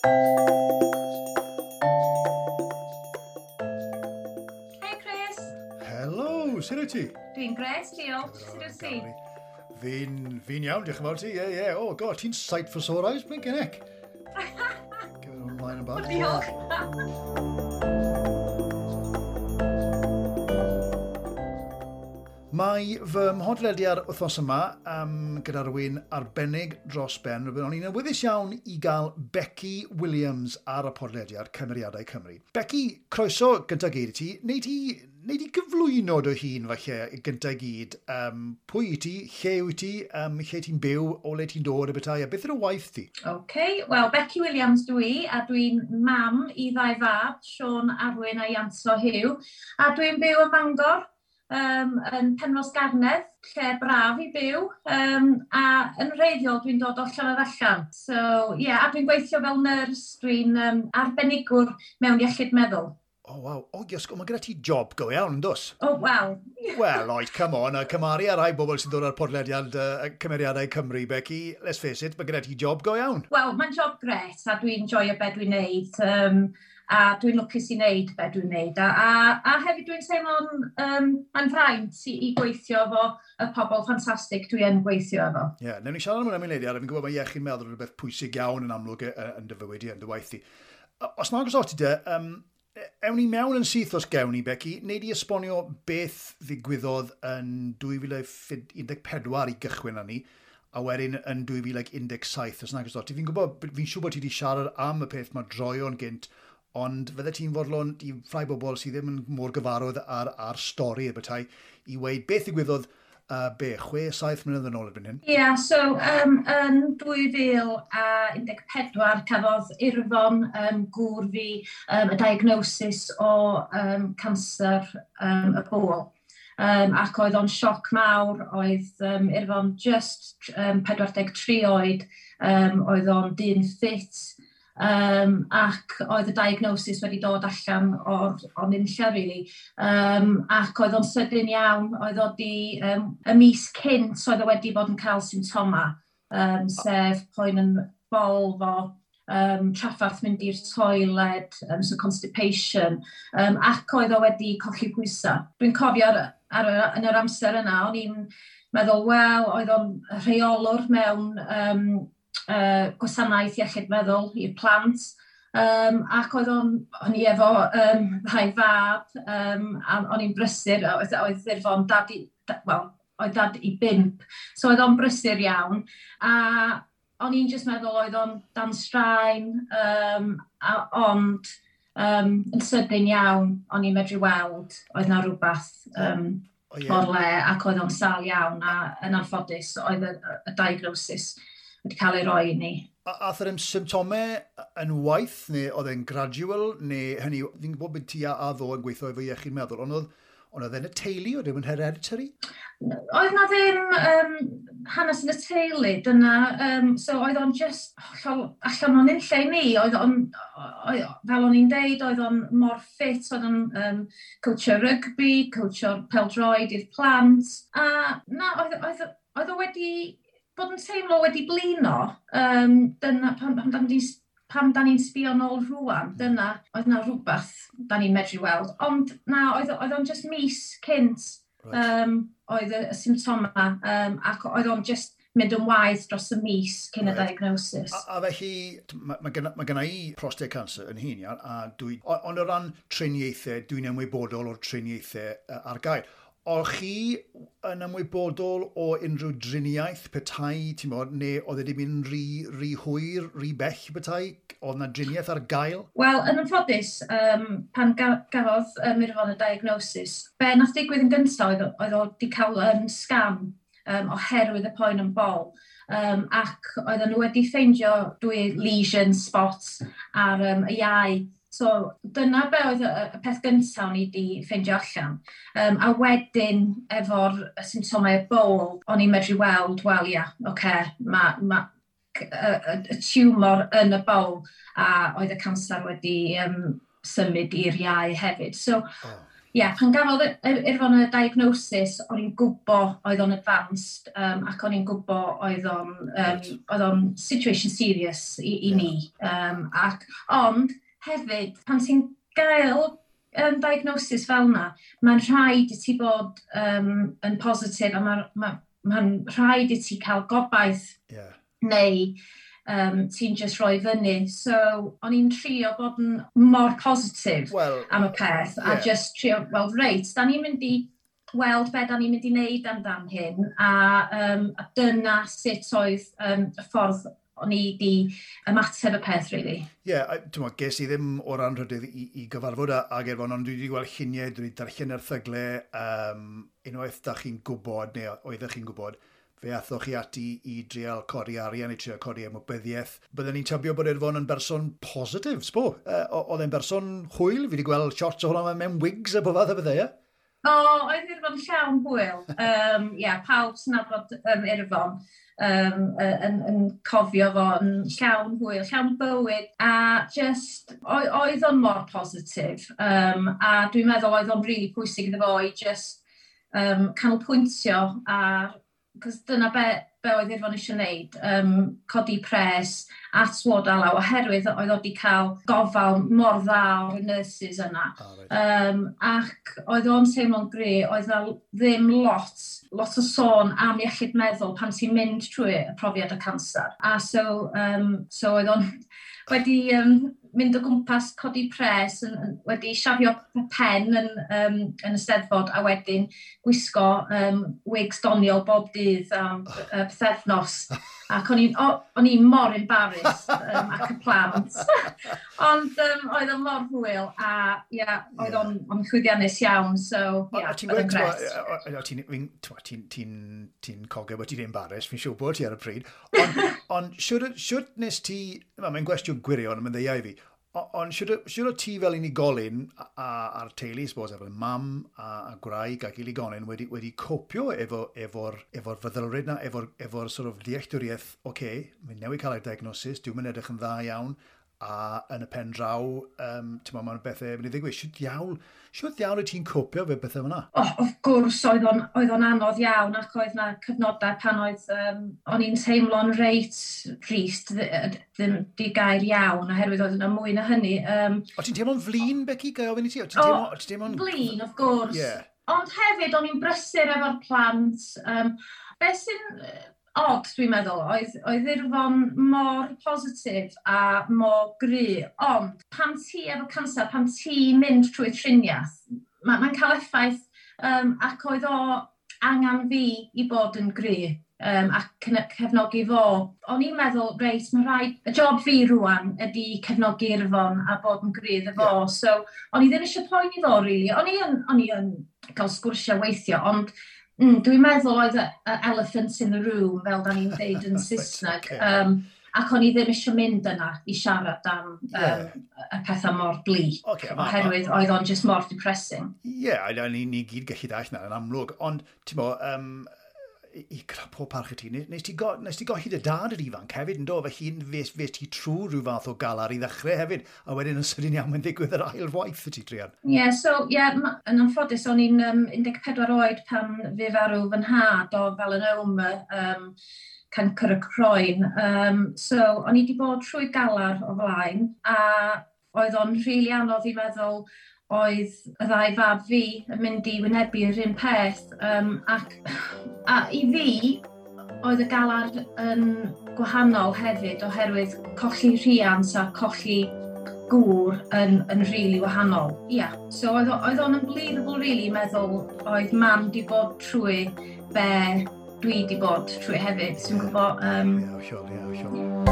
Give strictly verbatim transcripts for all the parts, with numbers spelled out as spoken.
Hey Chris! Helo, sut wyt ti? Dwi'n gret, diolch. Sut wyt ti? Fi'n fi iawn, diolch yn fawr ti. Ie, ie. Oh, God, ti'n sight for sore eyes, blinking heck. Give it ymlaen yn bach. Diolch. Mae fy mhodlediad wythnos yma um, gyda rhywun arbennig dros ben. O'n i'n awyddus iawn i gael Becky Williams ar y podlediad Cymeriadau Cymru. Becky, croeso gyntaf gyd i ti. Nei di, nei di gyflwyno dy hun falle gyntaf gyd. Um, pwy i ti, lle wyt ti, um, lle ti'n byw, o le ti'n dod y bethau, a beth yw'r waith ti? OK, wel, Becky Williams dwi, a dwi'n mam i ddau fab, Siôn Arwyn a Ianto Huw, a dwi'n byw ym Mangor. Um, yn Penrhos Garnedd, lle braf i byw, um, a yn wreiddiol dwi'n dod o Llanfyllin. So, yeah, a dwi'n gweithio fel nyrs, dwi'n um, arbenigwr mewn iechyd meddwl. Oh, waw. O, oh, mae gyda ti job go iawn, yn dos? Oh, wel. Wel, oed, come on, a cymaru ar rai bobl sy'n dod ar podlediad uh, Cymeriadau Cymru, Becky, let's face it, mae gyda ti job go iawn. Wel, mae'n job gret, a dwi'n joio be dwi'n neud. Um, a dwi'n lwcus i wneud be dwi'n wneud. A, a, a hefyd dwi'n teimlo'n um, mae'n fraint i, i gweithio efo y pobl ffantastig dwi yn gweithio efo. Ie, yeah, newn ni siarad am hwnna mewn eiliad, a fi'n gwybod mae iechyd meddwl yn rhywbeth pwysig iawn yn amlwg yn dy fywyd i, yn dy waith i. Os nag oes ti de, um, ewn ni mewn yn syth os gewn ni, Becky, neu di esbonio beth ddigwyddodd yn dwy fil un deg pedwar i gychwyn arni, a wedyn yn dwy fil un deg saith, os nag oes ti. Fi'n gwybod, fi'n siŵr bod ti wedi siarad am y peth mae droeon gynt, ond fydde ti'n fodlon i rhai bobl sydd ddim yn mor gyfarwydd ar, ar stori y bethau i weud beth ddigwyddodd uh, be, chwe, saith mlynedd yn ôl erbyn hyn? Ie, yeah, so um, yn dwy fil un deg pedwar cafodd Irfon um, gŵr fi um, y diagnosis o um, canser um, y bol. Um, ac oedd o'n sioc mawr, oedd um, Irfon just um, pedwar deg tri oed, um, oedd o'n dyn ffit, Um, ac oedd y diagnosis wedi dod allan o'r, o'r nunlla, really. Um, ac oedd o'n sydyn iawn, oedd o di, um, y mis cynt oedd o wedi bod yn cael symptoma, um, sef poen yn bol fo, um, traffarth mynd i'r toiled, um, so constipation, um, ac oedd o wedi colli pwysau. Dwi'n cofio ar, ar, yn yr amser yna, o'n i'n meddwl, wel, oedd o'n rheolwr mewn um, Uh, gwasanaeth iechyd meddwl i'r plant, um, ac oedd o'n, o'n i efo um, ddau fab, um, a o'n i'n brysur, oedd, oedd Irfon dad i, da, well, oedd dad i bump, so oedd o'n brysur iawn, a o'n i'n just meddwl oedd o'n dan straen, um, a, ond um, yn sydyn iawn, o'n i'n medru weld, oedd na rhywbeth um, oh, yeah. o'r le, ac oedd o'n sâl iawn, a yn anffodus, oedd y, y diagnosis wedi cael ei roi i ni. A ath yr symptomau yn waith, neu oedd e'n gradual, neu hynny, fi'n gwybod bod ti a, a ddo yn gweithio efo iechyd meddwl, ond oedd, ond oedd e'n y teulu, oedd e'n hereditary? Oedd na ddim um, hanes yn y teulu, dyna, um, so oedd o'n just hollol allan o'n unlle i mi, oedd o'n, oedd, fel o'n i'n deud, oedd o'n mor ffit, oedd o'n um, coachio rygbi, coachio pêl-droed i'r plant, a na, oedd, oedd, oedd o wedi bod yn teimlo wedi blino, um, dyna pam, pam, dan ni, pam dan ni'n sbio nôl rŵan, dyna oedd na rhywbeth dan ni'n medru weld. Ond na, oedd, oedd o'n just mis cynt, right. um, oedd y, y symptoma, um, ac oedd o'n just mynd yn waeth dros y mis cyn y right. diagnosis. A, a felly, mae ma gynna, ma gynna i prostate cancer yn hun, iawn, a dwi, ond o ran triniaethau, dwi'n ymwybodol o'r triniaethau ar gael. O'ch chi yn ymwybodol o unrhyw driniaeth petai, ti'n bod, neu oedd e wedi mynd rhy, rhy hwyr, rhy bell petai? Oedd na driniaeth ar gael? Wel, yn anffodus, um, pan ga gafodd um, Irfon y diagnosis, be nath digwydd yn gyntaf oedd, oedd o wedi cael um, sgan um, oherwydd y poen yn bol. Um, ac oedden nhw wedi ffeindio dwy lesion spots ar um, y iau. So dyna be oedd y, y peth gyntaf o'n i wedi ffeindio allan. Um, a wedyn efo'r symptomau y bol, o'n i'n medru weld, wel ia, oce, okay, mae ma, y, y, y tiwmor yn y bol, a oedd y canser wedi um, symud i'r iau hefyd. So, oh. yeah, pan gafodd Irfon y diagnosis, o'n i'n gwybod oedd o'n advanced, um, ac o'n i'n gwybod oedd o'n, um, right. oedd o'n situation serious i, i yeah. ni. Um, ac, ond hefyd, pan ti'n gael um, diagnosis fel yna, mae'n rhaid i ti bod um, yn positif a mae'n ma, ma rhaid i ti cael gobaith yeah. neu um, ti'n just rhoi fyny. So, o'n i'n trio bod yn mor positif well, am y peth, yeah. a just trio, wel, reit, da ni'n mynd i weld be da ni'n mynd i wneud amdan hyn, a, um, a dyna sut oedd um, y ffordd o'n i di ymateb y peth, really. Ie, yeah, ti'n meddwl, ges i ddim o'r anrhydedd i, i gyfarfod ag Irfon, ond dwi wedi gweld lluniau, dwi wedi darllen erthygle, um, unwaith da chi'n gwybod, neu oeddech chi'n gwybod, fe athoch chi ati i drial codi arian, i trial codi ymwybyddiaeth. Byddwn ni'n tybio bod Irfon yn berson positif, sbo. Uh, oedd e'n berson hwyl, fi wedi gweld shots o hwnna mewn wigs a bob fath o bethau, ie? O, oedd Irfon llawn hwyl. Um, yeah, pawb sy'n nabod um, Irfon um, yn, yn cofio fo yn llawn hwyl, llawn bywyd, a just, oedd o'n mor positif. Um, a dwi'n meddwl oedd o'n really pwysig iddo fo i just um, canolbwyntio ar, cos dyna be, be oedd Irfon eisiau gwneud, um, codi pres at Ward Alaw, oherwydd oedd o wedi cael gofal mor dda o'r nurses yna. Oh, right. um, ac oedd o'n teimlo'n gry, oedd na ddim lot, lot o sôn am iechyd meddwl pan ti'n mynd trwy y profiad o canser. A so, um, so oedd o'n wedi um, mynd o gwmpas codi pres, yn, yn, wedi siafio pen yn, um, yn y Steddfod a wedyn gwisgo um, wigs doniol bob dydd am uh, pythefnos. Ac o'n i'n o'n i'n mor embarrassed um, ac y plant. Ond um, oedd o'n mor hwyl a yeah, oedd o'n yeah. llwyddiannus iawn. So, yeah, oedd o'n gret. Ti'n ti'n ti'n ti'n cogio bod ti'n embarrassed, fi'n siŵr bod ti ar y pryd. Ond on, siwr, siwr nes ti, mae'n gwestiwn gwirion, mae'n ddeiau i fi, ond siwr, siwr o ti fel unigolyn a'r teulu, suppose, efo mam a, a gwraig ac iligonyn wedi, wedi copio efo'r efo, efo feddylfryd na, efo'r efo sort of dealltwriaeth, oce, okay, mae'n newid cael ei diagnosis, dwi'n mynd edrych yn dda iawn, a yn y pen draw, um, ti'n meddwl, mae'n bethau mynd i ddigwydd. Siwt diawl, siwt diawl wyt ti'n copio fe bethau fyna? Oh, of gwrs, oedd o'n, oedd o'n anodd iawn, ac oedd na cyfnodau pan oedd, um, o'n i'n teimlo'n reit drist, ddim di gair iawn, oherwydd oedd yna mwy na hynny. Um, o ti'n teimlo'n flin, Becky? Ga i ofyn i ti? O, ti'n teimlo, ti'n teimlo'n... Flin, of gwrs. Yeah. Ond hefyd, o'n i'n brysur efo'r plant. Um, be sy'n odd, dwi'n meddwl, oedd, oedd Irfon mor positif a mor gry, ond pan ti efo canser, pan ti'n mynd trwy triniaeth, mae'n ma cael effaith, um, ac oedd o angen fi i bod yn gry um, a cefnogi fo. O'n i'n meddwl, reit, mae rhaid, y job fi rwan ydy cefnogi Irfon a bod yn gry iddo fo. Yeah. So, o'n i ddim eisiau poeni fo, really. O'n i yn, o'n i yn cael sgwrsiau weithio, ond Mm, dwi'n meddwl oedd y, y elephant in the room, fel da ni'n deud yn Saesneg, okay. um, ac o'n i ddim eisiau mynd yna i siarad am um, yeah. y pethau mor bleak, okay, ma, oherwydd oedd o'n just mor depressing. Ie, yeah, ni, ni gyd gallu dall na yn amlwg, ond ti'n bo, um, i gyda pob parch i ti, nes ti, go, nes ti golli dy dad yr ifanc hefyd yn do, felly fes, fes ti trwy rhyw fath o galar i ddechrau hefyd, a wedyn yn sydyn iawn mae'n ddigwydd yr ail waith y ti, druan. Ie, yeah, so, ie, yeah, yn anffodus, o'n i'n um, un deg pedwar oed pan fi farw fy nhad o melanoma, um, cancr y croen. Um, so, o'n i wedi bod trwy galar o flaen, a oedd o'n rili really anodd i meddwl oedd y ddau fab fi yn mynd i wynebu'r un peth. Um, ac a i fi, oedd y galar yn gwahanol hefyd oherwydd colli rhiant a colli gŵr yn, yn rili really wahanol. Ia, yeah. So oedd, oedd o'n unbelievable really meddwl oedd mam di bod trwy be dwi di bod trwy hefyd. Ti'n gwybod? Um, Ie, hollol, ie, hollol.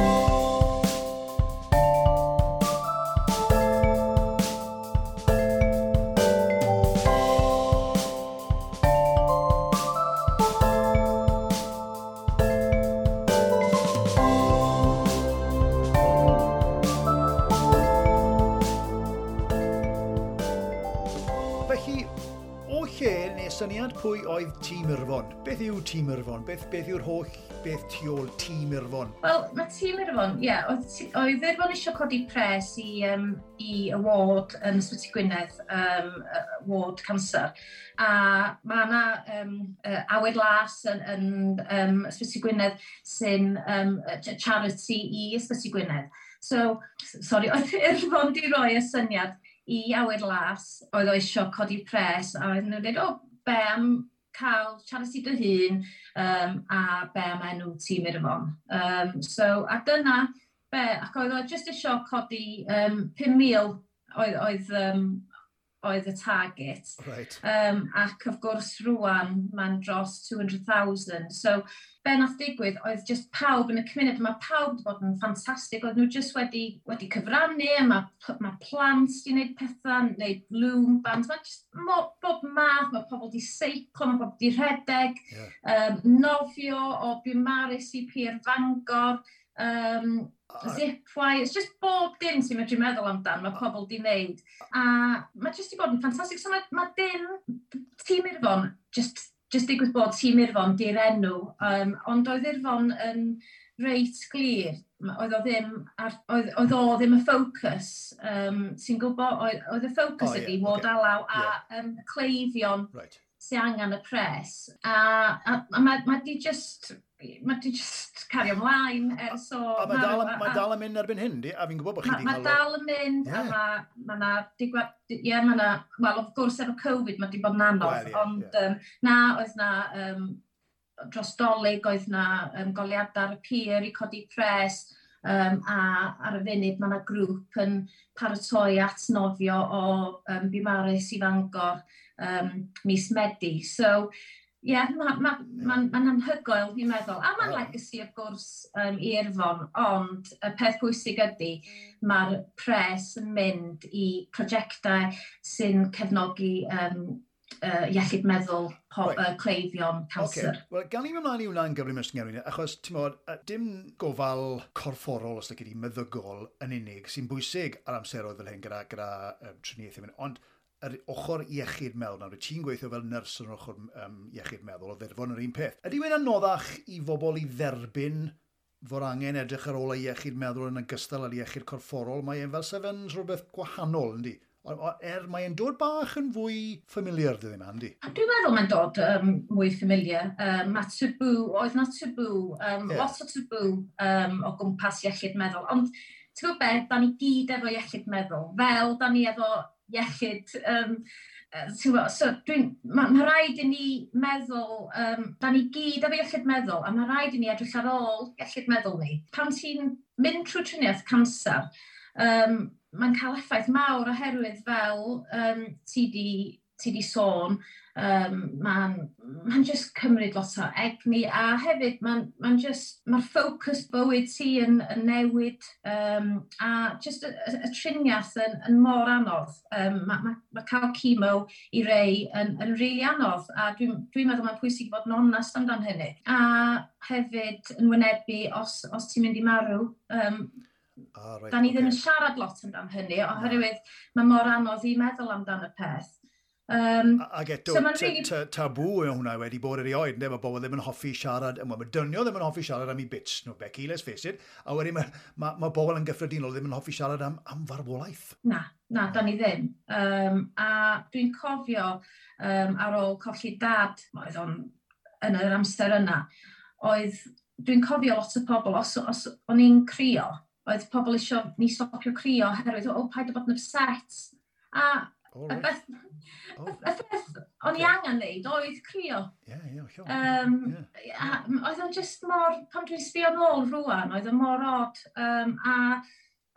syniad pwy oedd Tîm Irfon. Beth yw Tîm Irfon? Beth, beth yw'r holl beth tu ôl Tîm Irfon? Wel, mae Tîm Irfon, ie, yeah, oedd, oedd Irfon eisiau codi pres i, um, i y ward yn Ysbyty Gwynedd, um, ward cancer. A mae yna um, uh, Awyr Las yn, yn um, Ysbyty Gwynedd sy'n um, charity i Ysbyty Gwynedd. So, sorry, oedd Irfon di roi y syniad i Awyr Las, oedd o eisiau codi pres, a oedd nhw'n dweud, "O, be am cael charity dy hun, um, a be am enw Tîm Irfon?" Um, so, a dyna be, ac oedd o jyst eisiau codi um, pum mil oedd, oedd, um, oedd y target. Right. Um, ac of gwrs rwan mae'n dros two hundred thousand. So be nath digwydd oedd just pawb yn y cymuned, mae pawb wedi bod yn ffantastig, oedd nhw just wedi, wedi cyfrannu, a mae, mae plant wedi gwneud pethau, gwneud loom bands, mae just mo, bob math, mae pobl wedi seiclo, mae pobl wedi rhedeg, yeah. um, nofio o Biwmaris i Pier Fangor, um, zipwire, it's just bob dim ti'n medru meddwl amdan, mae pobl di wneud. A mae just di bod yn ffantastig. So mae, mae dim, Tîm Irfon, just, just digwydd bod Tîm Irfon di'r enw, um, ond oedd Irfon yn reit glir. Oedd o ddim, ar, oedd, oedd o ddim y ffocws. Um, ti'n gwybod, oedd, oedd y ffocws oh, ydi yeah, Ward okay. Alaw a yeah. um, cleifion right. sy'n angen y pres. A, a, a mae, mae di just mae di just cario ymlaen ers o. A mae dal, ma dal yn mynd erbyn hyn, di? A fi'n gwybod bod chi wedi cael. Mae dal yn mynd, yeah. a mae ma na digwa, ie, mae na, wel, of gwrs efo Covid mae di bod yn anodd, well, yeah, ond yeah. Um, na, oedd na, um, dros Dolig oedd na um, goliadau ar y pier i codi pres, um, a ar y funud mae yna grŵp yn paratoi at nofio o um, Biwmaris i Fangor um, mis Medi. So, ie, yeah, mae'n ma, ma, ma anhygoel, fi'n meddwl. A mae'n legacy, of gwrs, um, i Irfon, ond y peth pwysig ydy, mae'r pres yn mynd i prosiectau sy'n cefnogi um, uh, iechyd meddwl pob, Right. uh, cleifion canser. Okay. Wel, gan i ymlaen i hwnna'n gyflym ysgyngerwyn, achos, ti'n modd, dim gofal corfforol, os ydych chi, meddygol yn unig, sy'n bwysig ar amseroedd fel hyn gyda, gyda um, triniaethau, ond yr ochr iechyd meddwl, nawr, ti'n gweithio fel nyrs yn yr ochr um, iechyd meddwl, o ddirfon yr un peth. Ydy wedi'n anoddach i bobl i dderbyn fod angen edrych ar ôl y iechyd meddwl yn ogystal â'r iechyd corfforol? Mae e'n fel sef yn rhywbeth gwahanol, yndi? Er mae e'n dod bach yn fwy familiar, dydy yma, yndi? Dwi'n meddwl mae'n dod um, mwy familiar. Um, mae tabw, oedd na tabw, um, Ie. yeah. lot o tabw um, o gwmpas iechyd meddwl. Ond ti'n gwybod beth, da ni gyd efo iechyd meddwl, fel da ni efo iechyd, um, ti'n gwybod, so dwi'n, mae ma rhaid i ni meddwl, um, da ni gyd efo iechyd meddwl, a mae rhaid i ni edrych ar ôl iechyd meddwl ni. Pan ti'n mynd trwy triniaeth canser, um, mae'n cael effaith mawr oherwydd fel um, ti di, ti di sôn, um, mae'n ma just cymryd lot o egni a hefyd mae'n ma just, mae'r ffocws bywyd ti yn, yn newid um, a just y, y, y triniaeth yn, yn mor anodd. Um, mae ma, ma cael chemo i rei yn, yn rili really anodd a dwi'n dwi meddwl mae'n pwysig fod yn onest amdan hynny. A hefyd yn wynebu os, os ti'n mynd i marw, um, Ah, right, da ni ddim ocê. yn siarad lot amdan hynny, oherwydd mae mor anodd i meddwl amdan y peth. Um, A- Ac eto, So ma'n ta- rili- ta- tabw yw hwnna wedi bod erioed, ynde? Mae bobl ddim yn hoffi siarad, wel, mae dynion ddim yn hoffi siarad am eu bits nhw, Becky, let's face it, a wedyn mae, ma, ma bobl yn gyffredinol ddim yn hoffi siarad am, am farwolaeth. Na, na, da ni ddim. Um, a dwi'n cofio um, ar ôl colli dad, oedd o'n yn yr amser yna, oedd, dwi'n cofio lot o pobl, os, os o'n i'n crio, oedd pobl eisiau ni stopio crio oherwydd, "O, paid â bod yn upset." A Oh, y right. beth, Oh, y beth o'n i Ocê. angen neud oedd crio. ie, ie, hollol. Um, Ie. a oedd o'n just mor, pan dwi'n sbio nôl rwan, oedd o'n mor odd. Um, a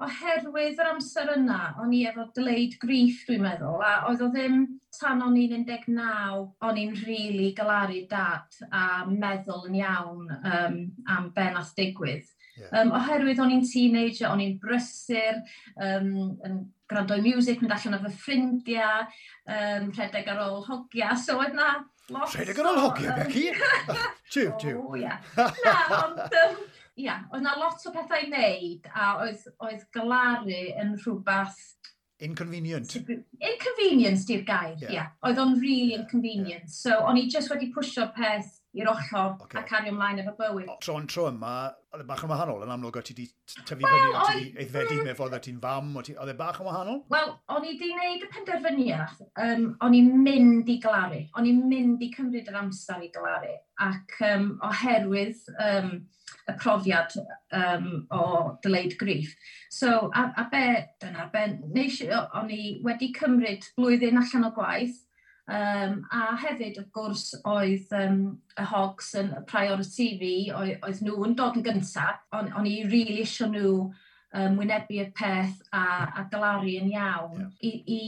oherwydd yr amser yna, o'n i efo delayed grief, dwi'n meddwl, a oedd o ddim tan o'n i'n un deg naw, o'n i'n rili really galaru dad a meddwl yn iawn um, am be nath digwydd. Ie. Um, oherwydd o'n i'n teenager, o'n i'n brysur, um, yn gwrando i music, mynd allan efo ffrindiau, um, rhedeg ar ôl hogia, so oedd na lot Rhedeg ar ôl hogia, o, yym, Becky? Tiw, tiw. O, ia. Na, ond, um, ia, oedd na lot o pethau i wneud, a oedd, oedd galaru yn rhywbeth Inconvenient. Inconvenient di'r gair, ie. Yeah. Yeah. Oedd o'n really Yeah, inconvenient. Yeah. So, o'n i just wedi pwsio peth i'r ochr Ocê. a cario ymlaen efo bywyd. Tro'n tro yma, oedd e bach yn wahanol, yn amlwg o ti di tyfu Wel, fyny, o ti oedd- di aeddfedu mewn ffordd o ti'n fam, o ti, oedd e bach yn wahanol? Wel, o'n i di wneud y penderfyniad, um, o'n i'n mynd i galaru, o'n i'n mynd i cymryd yr amser i galaru, ac um, oherwydd um, y profiad um, o delayed grief. So, a, a be, dyna be, nes, i- o'n i wedi cymryd blwyddyn allan o gwaith, um, a hefyd, wrth gwrs, oedd um, y hogs yn priority fi, oedd, oedd nhw yn dod yn gyntaf, o'n, o'n i really isio nhw um, wynebu y peth a, a galaru yn iawn Ie. i, i,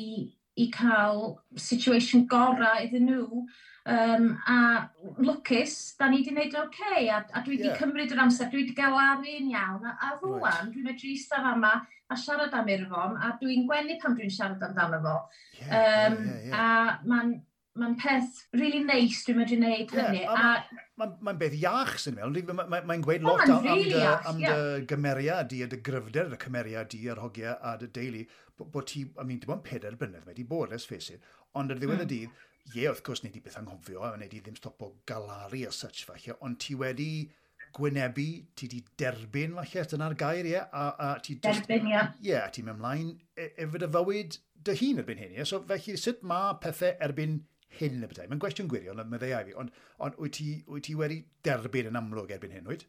i cael situation gorau iddyn nhw. Um, a lwcus, da ni wedi gwneud yn oce, okay, a, a dwi wedi Ie. cymryd yr amser, dwi wedi galaru'n iawn, a, a rŵan Right. dwi'n medru eistedd fama a siarad am Irfon, a dwi'n gwenu pan dwi'n siarad amdano fo. Ie, Um, ie, ie, ie. A mae'n ma peth really nice dwi'n medru gwneud Ie, hynny. a A, Mae'n ma beth iach sy'n meddwl, mae'n ma, ma gweud O, lot ma'n am, am, really dy, iach, am ie. dy gymeriad di a dy gryfder, dy cymeriad di a'r hogiau a dy deulu, bod, bo ti, I mean, dim ond pedair blynedd mae di bod, let's face it, ond ar ddiwedd Mm. y dydd, ie, wrth gwrs, nei di beth anghofio, a nei di ddim stopo galaru as such falle, ond ti wedi gwynebu, ti di derbyn falle, dyna'r gair, ie, a, a ti just, derbyn, ie. ie, a ti'n mynd ymlaen e- efo dy fywyd dy hun erbyn hyn, ie? So felly, sut mae pethau erbyn hyn y bethau? Mae'n gwestiwn gwirion, meddai fi, ond, ond wyt, ti, wyt ti wedi derbyn yn amlwg erbyn hyn, wyt?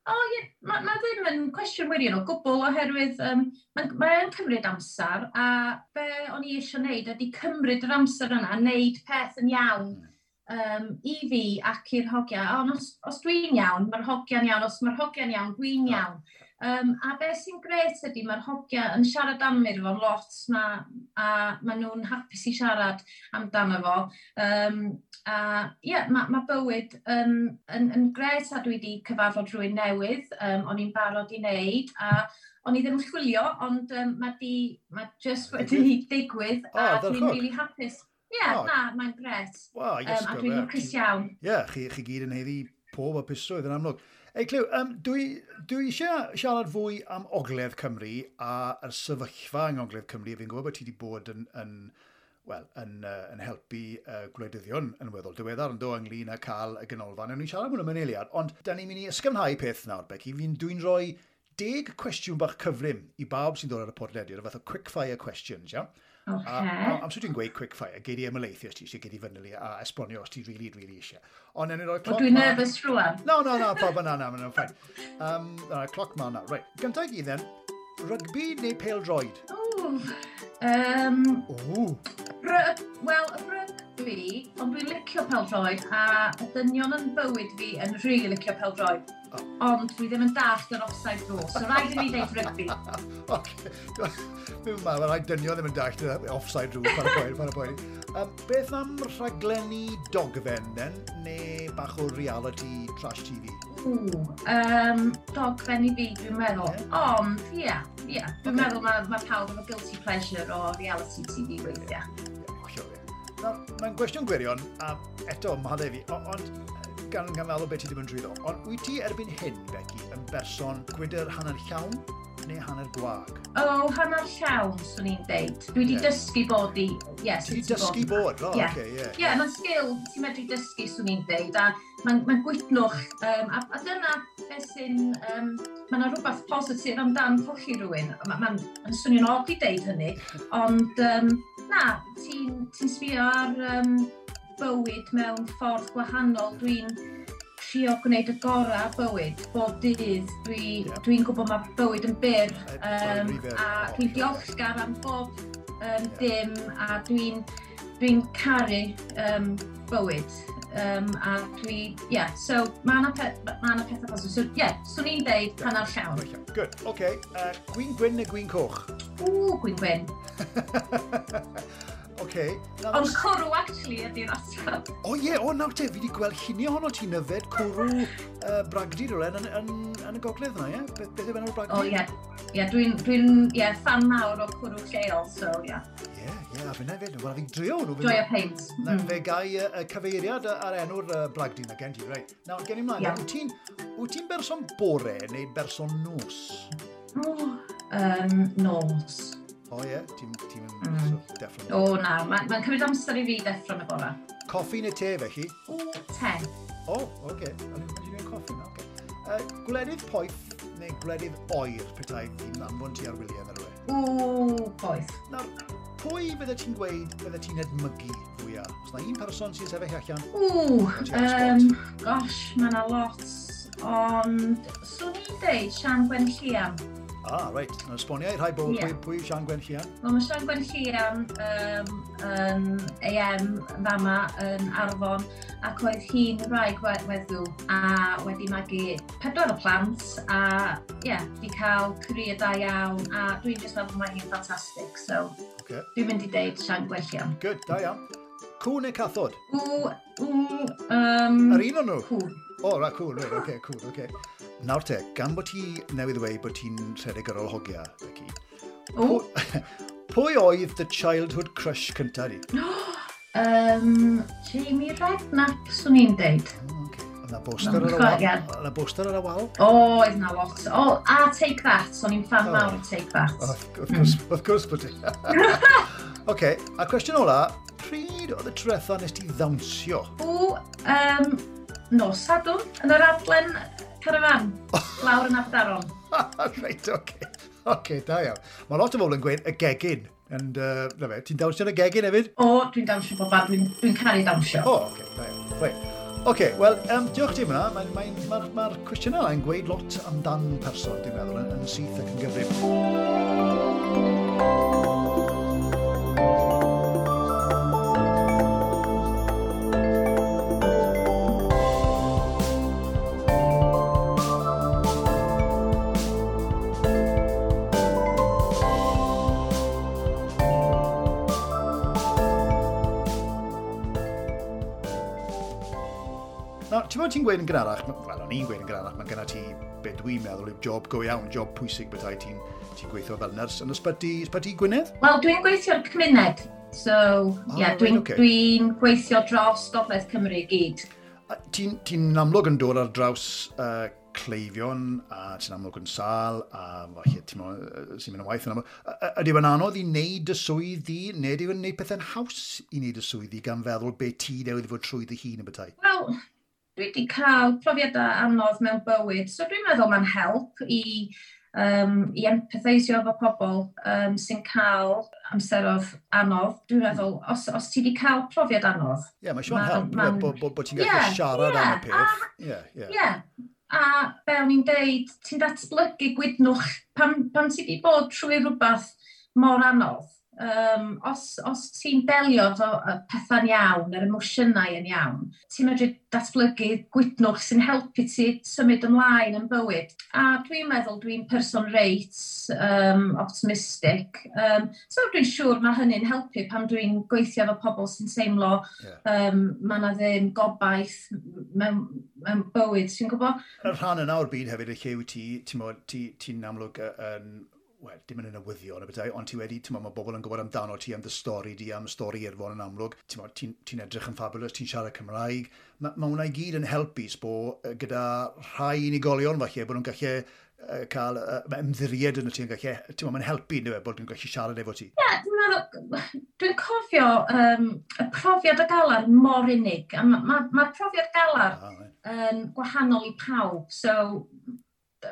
O, ie, mae ma ddim yn cwestiwn wirion o gwbl oherwydd um, mae'n mae yn cymryd amser a be o'n i eisiau wneud ydy cymryd yr amser yna a wneud peth yn iawn um, i fi ac i'r hogia. Ond os, os dwi'n iawn, mae'r hogia'n iawn. Os mae'r hogia'n iawn, dwi'n Ah. iawn. Um, a beth sy'n gret ydy mae'r hogia yn siarad am Irfon lot ma, a maen nhw'n hapus i siarad amdano fo. Um, a ie, yeah, mae ma bywyd yn, yn, yn gret a dwi wedi cyfarfod rhywun newydd, um, o'n i'n barod i wneud, a o'n i ddim yn chwilio, ond um, mae di, ma just wedi digwydd, O, a dwi'n ardderchog. really hapus. Ie, yeah, O. na, mae'n gret. Wel, Um, a dwi'n lwcus iawn. Ie, chi, chi gyd yn haeddu pob hapusrwydd yn amlwg. Ei, Clyw, um, dwi, dwi eisiau siarad fwy am Ogledd Cymru a'r sefyllfa yng Ngogledd Cymru. Fi'n gwybod bod ti wedi bod yn, yn, wel, yn, uh, yn helpu uh, gwleidyddion yn weddol diweddar yn do ynglyn â cael y ganolfan. Ewn ni'n siarad am hwn mewn eiliad, ond da ni'n mynd i ysgafnhau peth nawr, Becky. Fi'n dwi'n rhoi deg cwestiwn bach cyflym i bawb sy'n dod ar y podlediad, y fath o quick fire questions, iawn? A, Oce. a, amser dwi'n gweud quick fire, gei di ymhelaethu os ti eisiau, gei di fanylu a esbonio os ti really, really eisiau. Ond ewn ni roi Wel, cloc dwi'n ma- nervous rwan. No, no, no, pawb na, na, mae'n fine. Um, na, cloc ma na. Right, gyntaf i gyd then, rygbi neu pêl-droed? Ww, um, O, Wel, y rygbi, ond dwi'n licio pêl-droed, a y dynion yn bywyd fi yn rili licio pêl-droed. O. Ond dwi ddim yn dallt yr offside rule, so rhaid i mi ddeud rygbi. Oce. Dwi'n meddwl, mae rhai dynion ddim yn dallt y offside rule, paid â poeni, paid â poeni. Um, beth am rhaglenni dogfen, then, neu bach o reality trash T V? Ww, um, dogfen i fi, dwi'n meddwl. Ie. Ond, ie, ie, dwi'n Ocê. meddwl mae ma pawb efo guilty pleasure o reality T V weithiau. Ie, hollol, ie. Nawr, mae'n gwestiwn gwirion, a eto, maddau fi, o- ond gan, gan feddwl beth ti ddim yn drwyddo, ond wyt ti erbyn hyn, Becky, yn berson gwydr hanner llawn neu hanner gwag? O, hanner llawn, swn i'n deud. Dwi wedi Ie. dysgu bod i... Ie, Ti wedi sut i dysgu bod? O, Ie. oce, ie. Ie, mae'n sgil ti'n medru dysgu, swn i'n deud, a mae'n ma gwytnwch, um, a, a dyna beth sy'n, um, mae yna rhywbeth positif amdan colli rhywun. Mae'n ma, ma swnio'n od i deud hynny, ond um, na, ti'n ti sbio ar um, bywyd mewn ffordd gwahanol. Dwi'n trio gwneud y gorau bywyd bob dydd. Dwi, Ie. Dwi'n gwybod mae bywyd yn byr, Um, um, a dwi'n diolchgar am bob um, dim a dwi'n dwi'n caru um, bywyd. Um, a dwi, yeah, so mae yna pe, ma 'na pethau positif. So, yeah, swn i'n deud hanner llawn. Good, oce. Okay. Uh, gwin gwyn neu gwin coch? Ww, gwin gwyn. Oce. Ond cwrw, actually, ydy'r ateb. O ie, o nawr te, fi wedi gweld lluniau ohono ti'n yfed cwrw uh, bragdy rhywle yn, yn, yn y gogledd yna, ie? Beth, beth yw enw'r bragdy? O, ie. Ie, dwi'n, dwi ie, fan mawr o cwrw lleol, so, ie. Ie, ie, a finna hefyd. Wel, fi'n drio hwnnw. Joio peint. Na, Mm. fe gai y, y cyfeiriad a'r enw'r uh, bragdy na gen ti, reit. Nawr, gen i mlaen, Ie. wyt ti'n wyt ti'n berson bore neu berson nos? O, um, nos. O ie, yeah. Ti'n ti mm. so, deffro? O na, mae'n ma cymryd amser i fi deffro yn y bora. Coffi neu te felly? O, te. O, oce. Okay. O'n i'n gwneud coffi na, oce. Okay. Uh, gwledydd poeth neu gwledydd oer petai fi'n anfon ti ar wyliau yn rhywle? O, poeth. Nawr, pwy fydde ti'n gweud fydde ti'n edmygu fwyaf? Os na un person sy'n sefyll allan? O, um, gosh, mae yna lot. Ond, swn i'n deud Sian Gwenllian. Ah, reit. Nawr, esbonio i rhai bobl yeah. pwy, pwy yw Sian Gwenllian? Wel, mae Sian Gwenllian um, yn A M fama yn Arfon, ac oedd hi'n wraig weddw a wedi magu pedwar o plant a ie, yeah, wedi cael career da iawn a dwi'n just meddwl mae hi'n ffantastig, so okay. Dwi'n mynd i deud Sian Gwenllian. Good, da iawn. Cŵn neu cathod? Ww, ww, um, Yr un o'n nhw? Cŵn. O, oh, right, cŵn, right, okay, cŵn, okay. Nawr te, gan bod ti newydd ddweud bod ti'n rhedeg ar ôl hogia, Becky, oh. Pwy oedd dy childhood crush cynta di? um, Jamie Redknapp, swn i'n deud. Oh, okay. Oedd na poster ar y wal? Oedd na poster ar y wal? O, oedd na lot. O, oh, a Take That, o'n i'n fan oh. mawr o Take That. Oh, wrth gwrs, mm. wrth gwrs bod ti. Oce, a cwestiwn ola, pryd oedd y tretha nes ti ddawnsio? O, um, nos Sadwrn, yn yr adlen carafan, lawr yn Aberdaron. Reit, oce. Oce, da iawn. Mae lot o bobl yn gweud y gegin. And, uh, na fe, ti'n dawnsio yn y gegin hefyd? O, dwi'n dawnsio bob man, dwi'n dwi caru dawnsio. O, oce, da iawn. Reit. Oce, wel, um, diolch ti am hwnna. Mae'r mae, mae, mae cwestiynau yna'n gweud lot amdan person, dwi'n meddwl, yn, yn syth ac yn gyfrif. Ti'n meddwl ti'n gweud yn gynharach, wel, o'n i'n gweud yn gynharach, mae genna ti, be dwi'n meddwl, yw job go iawn, job pwysig bethau ti'n ti gweithio fel nyrs yn ysbyty, ysbyty Gwynedd? Wel, dwi'n gweithio'r cymuned, so, oh, yeah, dwi'n okay. Dwi gweithio dros Gogledd Cymru i gyd. Ti'n ti amlwg yn dod ar draws uh, cleifion, a ti'n amlwg yn sâl, a falle ti'n sy'n mynd yn waith yn amlwg. Ydy e'n anodd i wneud y swydd di, neu ydy e'n wneud pethau'n haws i wneud y swydd di gan feddwl be ti newydd fod trwy dy hun yn bethau? Wel, dwi wedi cael profiadau anodd mewn bywyd, so dwi'n meddwl mae'n help i, um, i empatheisio efo pobl um, sy'n cael amseroedd anodd. Dwi'n meddwl, os, os ti wedi cael profiad anodd... Ie, yeah, mae siŵr help, ma, bod bo, bo ti'n gallu yeah, siarad yeah, am y peth. Ie, ie. Yeah. A be o'n i'n deud, ti'n datblygu gwydnwch pan, pan ti wedi bod trwy rhywbeth mor anodd. Um, os, os ti'n delio efo pethau'n iawn, yr emosiynau yn iawn, ti'n medru datblygu gwydnwch sy'n helpu ti symud ymlaen yn bywyd. A dwi'n meddwl dwi'n person reit um, optimistic. Um, so dwi'n siŵr mae hynny'n helpu pan dwi'n gweithio efo pobl sy'n teimlo yeah. um, mae yna ddim gobaith mewn, mewn bywyd, ti'n gwybod? Y rhan yna o'r byd hefyd, y lle wyt ti, ti'n ti, ti amlwg yn... Wel, dim yn y newyddion y bethau, ond ti wedi, ti'n mae bobl yn gwybod amdano ti, am dy stori di, am stori Irfon yn amlwg. Ti'n ti, ti edrych yn fabulous, ti'n siarad Cymraeg. Mae ma hwnna i gyd yn helpu, sbo, gyda rhai unigolion falle, bod nhw'n gallu uh, cael uh, ymddiried yn y ti, yn gallu, ti'n mae'n helpu, ynddo fe, bod nhw'n gallu siarad efo ti. Ie, yeah, dwi'n meddwl, dwi'n cofio um, y profiad o galar mor unig, a mae'r ma, ma profiad galar ah, right. yn gwahanol i pawb, so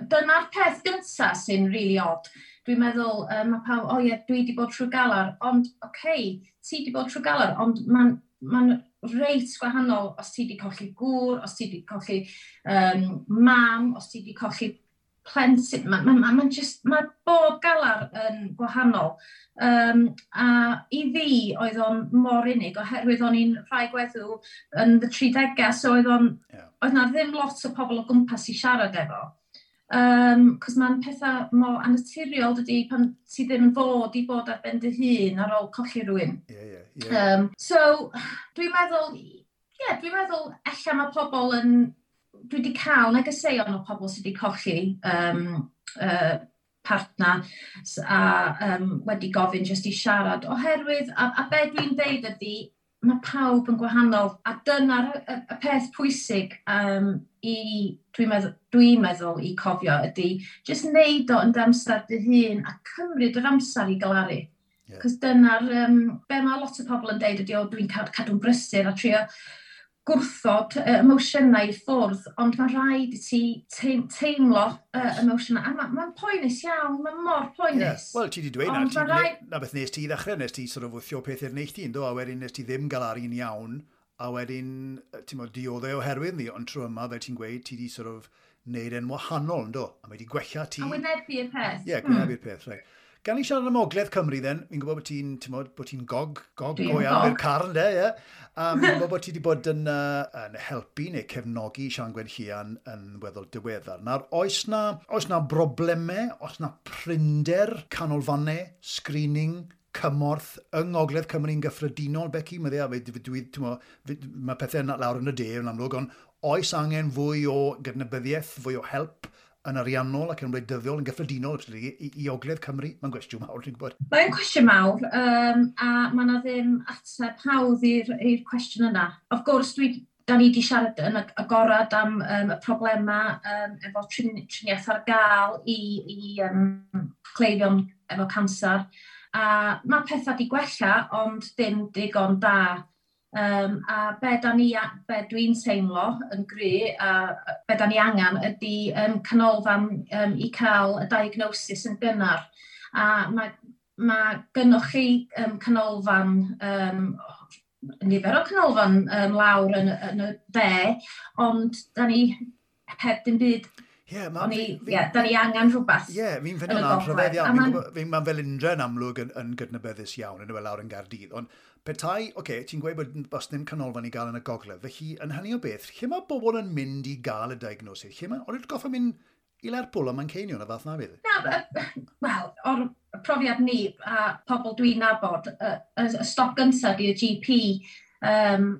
dyna'r peth gyntaf sy'n really odd. Dwi'n meddwl, um, mae pawb, o oh ie, dwi wedi bod trwy galar, ond oce, okay, ti wedi bod trwy galar, ond mae'n ma reit gwahanol os ti wedi colli gŵr, os ti wedi colli um, mam, os ti wedi colli plentyn. Mae'n ma, ma, ma just, ma bob galar yn gwahanol. Um, a i fi, oedd o'n mor unig, oherwydd o'n i'n rhai gweddw yn y tridegau, so oedd o'n, yeah. oedd na ddim lot o pobl o gwmpas i siarad efo. Um, cos mae'n pethau mor annaturiol dydy pan ti ddim yn fod i bod ar ben dy hun ar ôl colli rhywun. Yeah, yeah, yeah. Um, so, dwi'n meddwl, yeah, dwi'n meddwl ella mae pobl yn, dwi wedi cael negeseuon o pobl sydd wedi colli um, uh, partner a um, wedi gofyn jyst i siarad oherwydd, a, a be dwi'n deud ydy, mae pawb yn gwahanol, a dyna'r y, y peth pwysig um, i, dwi'n meddwl, dwi meddwl i cofio ydy, jyst neud o yn dy amser dy hun a cymryd yr amser i galaru. Yeah. Cos dyna'r, um, be mae lot o pobl yn deud ydi, "O, dwi'n cadw'n brysur" a trio gwrthod uh, emosiynau i ffwrdd, ond mae rhaid i ti teimlo uh, emosiynau. A mae'n ma poenus iawn, mae'n mor poenus. Yeah. Wel, ti wedi dweud na, ti, rhaid... na beth nes ti i ddechrau, nes ti sort of wthio peth i'r neilltu, do, a wedyn nes ti ddim gael ar un iawn, a wedyn, ti'n mo, dioddau oherwydd ni, ond trwy yma, fel ti'n gweud, ti di sort of neud e'n wahanol, do, a mae wedi gwella ti. A wynebu'r peth. Ie, yeah, gwynebu'r mm. peth, right. Gan i siarad am Ogledd Cymru, then, fi'n gwybod bod ti'n, ti'n bod ti'n gog, gog go iawn i'r carn, de, ie. Um, fi'n gwybod bod ti wedi bod yn, uh, yn helpu neu cefnogi Sian Gwenllian yn weddol diweddar. Nawr, oes na, oes na broblemau, oes na prinder canolfannau, screening, cymorth yng Ngogledd Cymru'n gyffredinol, Becky? Mae, dwi, dwi, mae pethau lawr yn y de yn amlwg, ond oes angen fwy o gydnabyddiaeth, fwy o help yn ariannol ac yn wleidyddol yn gyffredinol i, i, i Ogledd Cymru? Mae'n gwestiwn mawr, dwi'n gwybod. Mae'n cwestiwn mawr, um, a mae yna ddim ateb hawdd i'r cwestiwn yna. Of course, dwi, da ni wedi siarad yn agorad am um, y problemau um, efo trin, triniaeth ar gael i, i um, cleifion efo canser. A mae pethau wedi gwella, ond dim digon da. Um, a be, da ni, be dwi'n teimlo yn gry, a be da ni angen ydy um, canolfan um, i cael y diagnosis yn gynnar. A mae, mae gynnoch chi um, canolfan, um, nifer o canolfan um, lawr yn, yn y de, ond da ni heb dim byd. Ie, ma, fi, fi, yeah, da ni angen rhywbeth. Ie, yeah, fi'n ffeindio na'n rhyfedd iawn. Fi'n ma Felindre yn amlwg yn, yn gydnabyddus iawn, yn y lawr yn Gaerdydd. Ond petai, oce, okay, ti'n gweud bod os ddim canolfan i gael yn y gogledd, felly yn hynny o beth, lle mae bobl yn mynd i gael y diagnosis? Lle mae, ond yw'n goffa mynd i Lerpwl a Manceinion a fath na fydd? Na, wel, o'r profiad ni a pobl dwi'n nabod, y, y, y stop gyntaf ydy'r G P, um,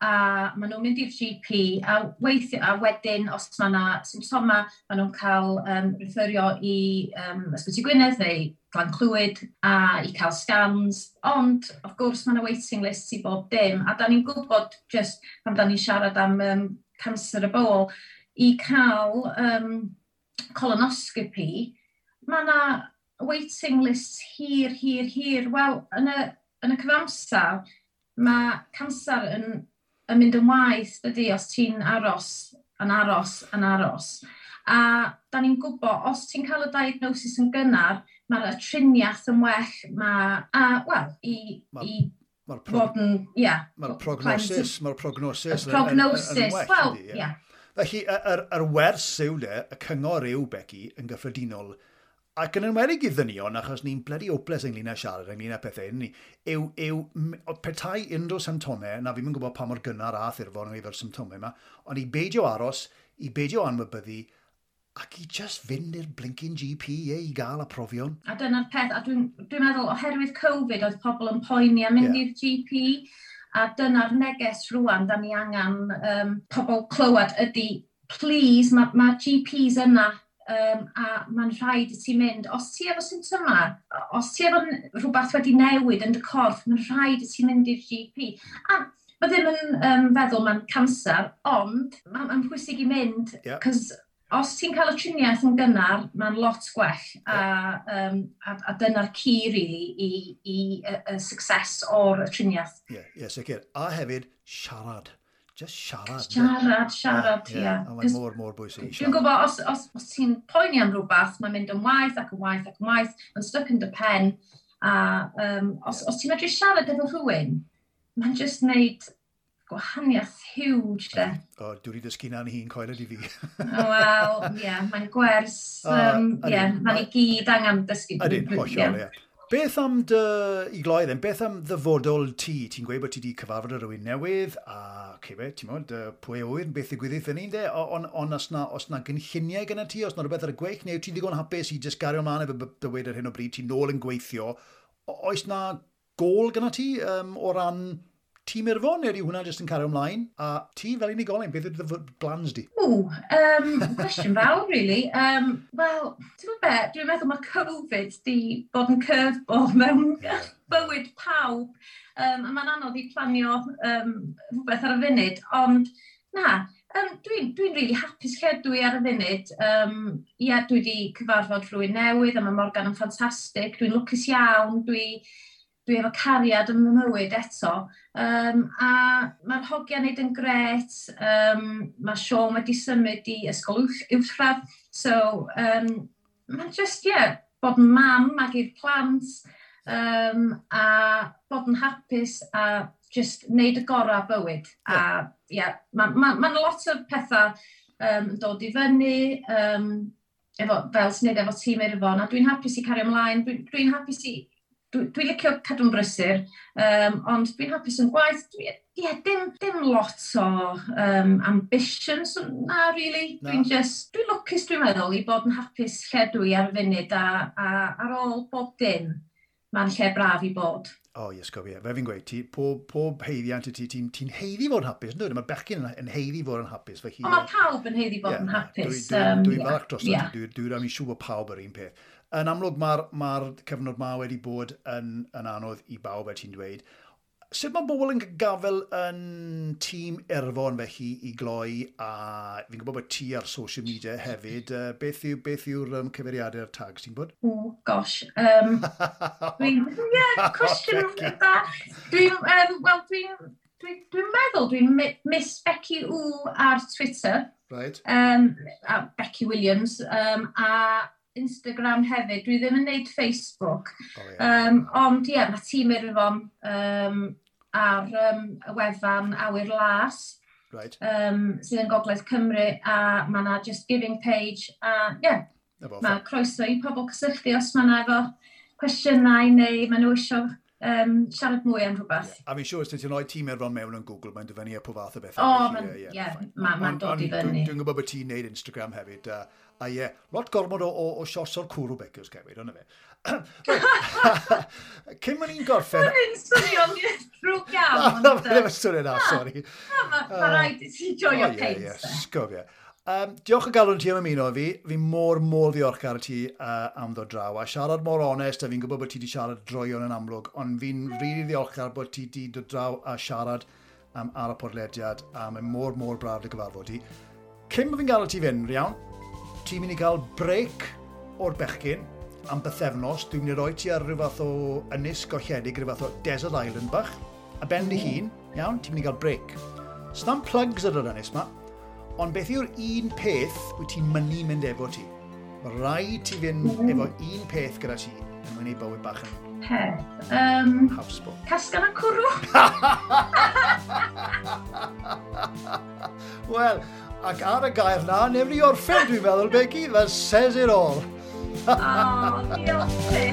a maen nhw'n mynd i'r G P a weithio, a wedyn os mae yna symptomau, maen nhw'n cael um, referio i um, Ysbyty Gwynedd neu Glan Clwyd a i cael scans, ond of course mae yna waiting list i bob dim, a da ni'n gwybod just pan da ni'n siarad am um, cancer y bol, i cael um, colonoscopy, mae yna waiting list hir, hir, hir. Wel, yn y, yn y cyfamser, mae cancer yn, yn mynd yn waeth, dydy, os ti'n aros, yn aros, yn aros. A da ni'n gwybod, os ti'n cael y diagnosis yn gynnar, mae'r triniaeth yn well, mae, a, wel, i, Ma- i Mae'r fod yn, ia. Mae'r prognosis, mae'r prognosis Y prognosis, yn, yn, yn well, wel, yndi, ie. Ia. Felly, y- yr, yr wers yw le, y cyngor yw, Becky, yn gyffredinol, ac yn enwedig i ddynion, achos ni'n bloody hopeless ynglyn â siarad, ynglyn â pethau, ni, yw, yw m- o petai unrhyw symptomau, na fi'n gwybod pa mor gynnar a Irfon yn efo'r symptomau yma, ond i beidio aros, i beidio anwybyddu, ac i just fynd i'r blinking G P, ie, i gael y profion. A dyna'r peth, a dwi'n dwi meddwl oherwydd Covid oedd pobl yn poeni am mynd Ie. i'r G P, a dyna'r neges rwan, da ni angen um, pobl clywed ydy, please, mae ma G Ps yna, um, a mae'n rhaid i ti mynd. Os ti efo symptomau, os ti efo n- rhywbeth wedi newid yn dy corff, mae'n rhaid i ti mynd i'r G P. A mae ddim yn um, feddwl mae'n cancer, ond mae'n ma pwysig i mynd, Ie. cos os ti'n cael y triniaeth yn gynnar, mae'n lot gwell. A, um, a, a dyna'r key, really, i, i y, y success o'r triniaeth. Ie, yeah, ie, sicr. A hefyd, siarad. Just siarad, ynde? Siarad, siarad, ie. Ie, a mae'n 'Cos mor, mor bwysig i dwi'n siarad. gwybod, os, os, os ti'n poeni am rhywbeth, mae'n mynd yn waeth ac yn waeth ac yn waeth, mae'n stuck yn dy pen. A um, os, os ti'n medru siarad efo rhywun, mae'n just wneud gwahaniaeth huge, de. O, dwi wedi dysgu na'n hun, coeled i fi. Wel, ie, yeah, mae'n gwers, O, um, ydyn, ie, mae'n i gyd angen dysgu. Ydyn, hollol, ie. Beth am dy, i gloi then, beth am ddyfodol ti? Ti'n gweud bod ti wedi cyfarfod â rhywun newydd, a okay, be, ti'n modd, pwy a ŵyr, beth ddigwyddith yn un de, ond on, os na, os na gynlluniau gyda ti, os na rhywbeth ar y gweill, neu ti'n ddigon hapus i just gario ymlaen efo bywyd ar hyn o bryd, ti'n nôl yn gweithio, oes na gol gyda ti um, o ran tîm Irfon, neu ydy hwnna jyst yn cario ymlaen? A ti fel unigolyn, beth ydy dy plans di? Ww, um, cwestiwn fawr, really. Um, Wel, ti'n gwybod be, dwi'n meddwl mae Covid di bod yn curveball mewn yeah. bywyd pawb. Um, a mae'n anodd i planio um, rhywbeth ar y funud, ond na, Um, dwi'n dwi really hapus lle dwi ar y funud. Um, yeah, dwi wedi cyfarfod rhywun newydd a mae Morgan yn ffantastig. Dwi'n lwcus iawn, dwi, dwi efo cariad yn fy mywyd eto. Um, a mae'r hogiau'n neud yn gret. Um, mae Sean wedi symud i ysgol uwchradd. So, um, mae'n just, yeah, bod yn mam ag i'r plant um, a bod yn hapus a just wneud y gorau bywyd. Yeah. A yeah, mae ma, ma lot o pethau um, yn dod i fyny, um, efo, fel sy'n neud efo tîm Irfon, a dwi'n hapus i cario ymlaen, dwi'n dwi hapus i, dwi'n dwi licio cadw'n brysur, um, ond dwi'n hapus yn gwaith, dwi, yeah, dim, dim lot o um, ambitions, na, really. Dwi'n just, dwi'n lwcus dwi'n meddwl i bod yn hapus lle dwi ar y funud a, a ar ôl bob dim, mae'n lle braf i bod. O, oh, yes, gofio. Fe fi'n gweud, ti, pob, pob haeddiant i ti, ti'n ti haeddu fod yn hapus, ynddo? Mae bechgyn yn, yn haeddu fod yn hapus. Felly, o, mae pawb yn haeddu fod yeah, yn hapus. Dwi'n dwi, dwi um, falch dros yeah. Dwi'n dwi, dwi, dwi siŵr bod pawb yr un peth. Yn amlwg, mae'r ma cyfnod ma wedi bod yn, yn anodd i bawb, fel ti'n dweud. Sut mae bobl yn gafel yn tîm Irfon felly i gloi, a fi'n gwybod bod ti ar social media hefyd. Beth yw, beth yw'r um, cyfeiriadau'r tags ti'n bod? O, gosh. Um, dwi'n, yeah, cwestiwn bach. Dwi'n, um, wel, dwi'n dwi, dwi meddwl dwi'n Miss Becky W ar Twitter. Right. Um, a Becky Williams. Um, a Instagram hefyd. Dwi ddim yn neud Facebook. Oh, yeah. um, ond ie, yeah, mae tîm Irfon um, ar um, y wefan Awyr Las, right. um, sydd yn Gogledd Cymru, a mae yna Just Giving page, a ie, yeah, mae croeso i pobl cysylltu os mae yna efo cwestiynau neu maen nhw eisiau um, siarad mwy am rhywbeth. Yeah. A fi'n siŵr os ti'n rhoi tîm Irfon mewn yn Google, mae'n dyfynnu a pob fath o bethau. O, mae'n yeah, ma, ma dod i fyny. Dwi'n gwybod bod ti'n neud Instagram hefyd. Uh, a ie, yeah, lot gormod o, o, o shots o'r cwrw Becky os hefyd, ond fe. Cyn ma'n i'n gorffen... Mae'n swnio'n drwg iawn. Na, mae'n swnio na, sori. Mae rhaid i ti joio peint. Ie, sgofio. Um, diolch o galon ti am ymuno fi. Fi mor, mor ddiolchgar i ti uh, am ddod draw. A siarad mor onest, a fi'n gwybod bod ti wedi siarad droion yn amlwg, ond fi'n rili ddiolchgar bod ti wedi dod draw a siarad um, ar y podlediad, a mae'n mor, mor braf dy gyfarfod ti. Cyn bod fi'n gadael ti fynd, iawn, ti'n mynd i gael break o'r bechgyn am bythefnos. Dwi'n mynd i roi ti ar rhyw fath o ynys golledig, rhyw fath o desert island bach, a ben dy hun, iawn, ti'n mynd i gael break. S'na'm plugs ar yr ynys ma, ond beth yw'r un peth wyt ti'n mynnu mynd efo ti? Mae rhaid ti fynd mm. efo un peth gyda ti yn mynd i bywyd bach yn peth. Um, Hawsbo. Casgan a cwrw. Wel, ac ar y gair na, nefni orffen dwi'n meddwl, Becky, that says it all. Oh, diolch ti.